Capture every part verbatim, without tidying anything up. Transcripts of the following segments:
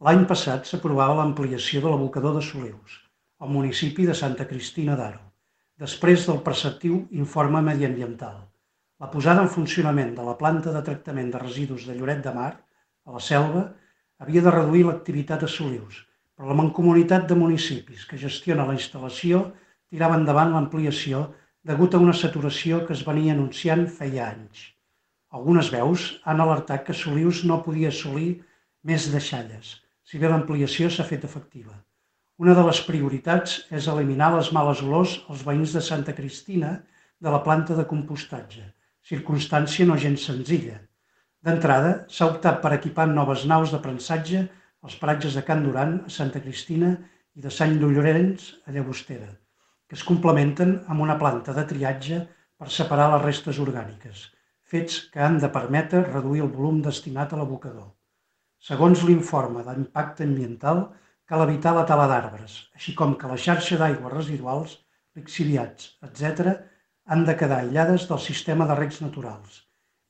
L'any passat s'aprovava l'ampliació de l'abocador de Solius, al municipi de Santa Cristina d'Aro, després del preceptiu informe mediambiental. La posada en funcionament de la planta de tractament de residus de Lloret de Mar, a la Selva, havia de reduir l'activitat a Solius, però la Mancomunitat de Municipis que gestiona la instal·lació tirava endavant l'ampliació degut a una saturació que es venia anunciant feia anys. Algunes veus han alertat que Solius no podia assolir més deixalles, si bé l'ampliació s'ha fet efectiva. Una de les prioritats és eliminar les males olors als veïns de Santa Cristina de la planta de compostatge, circumstància no gens senzilla. D'entrada, s'ha optat per equipar noves naus de prensatge als paratges de Can Duran, a Santa Cristina, i de Sant Llorenç, a Llagostera, que es complementen amb una planta de triatge per separar les restes orgàniques, fets que han de permetre reduir el volum destinat a l'abocador. Segons l'informe d'impacte ambiental, cal evitar la tala d'arbres, així com que la xarxa d'aigües residuals, lixiviats, etcètera, han de quedar aïllades del sistema de regs naturals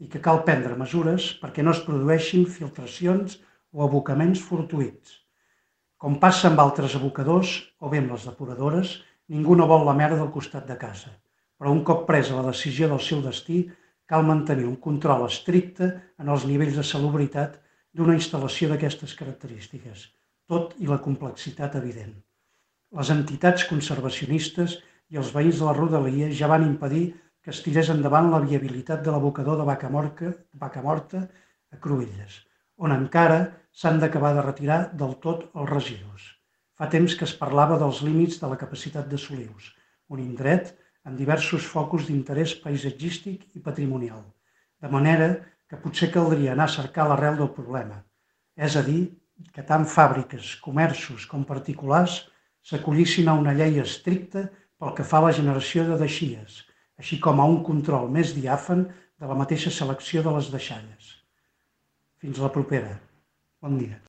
i que cal prendre mesures perquè no es produeixin filtracions o abocaments fortuïts. Com passa amb altres abocadors o bé amb les depuradores, ningú no vol la merda al costat de casa, però un cop presa la decisió del seu destí, cal mantenir un control estricte en els nivells de salubritat d'una instal·lació d'aquestes característiques, tot i la complexitat evident. Les entitats conservacionistes i els veïns de la rodalia ja van impedir que es tirés endavant la viabilitat de l'abocador de Vacamorta a Cruïlles, on encara s'han d'acabar de retirar del tot els residus. Fa temps que es parlava dels límits de la capacitat de Solius, un indret amb diversos focus d'interès paisatgístic i patrimonial, de manera que potser caldria anar a cercar l'arrel del problema, és a dir, que tant fàbriques, comerços com particulars s'acollissin a una llei estricta pel que fa a la generació de deixies, així com a un control més diàfan de la mateixa selecció de les deixalles. Fins la propera. Bon dia.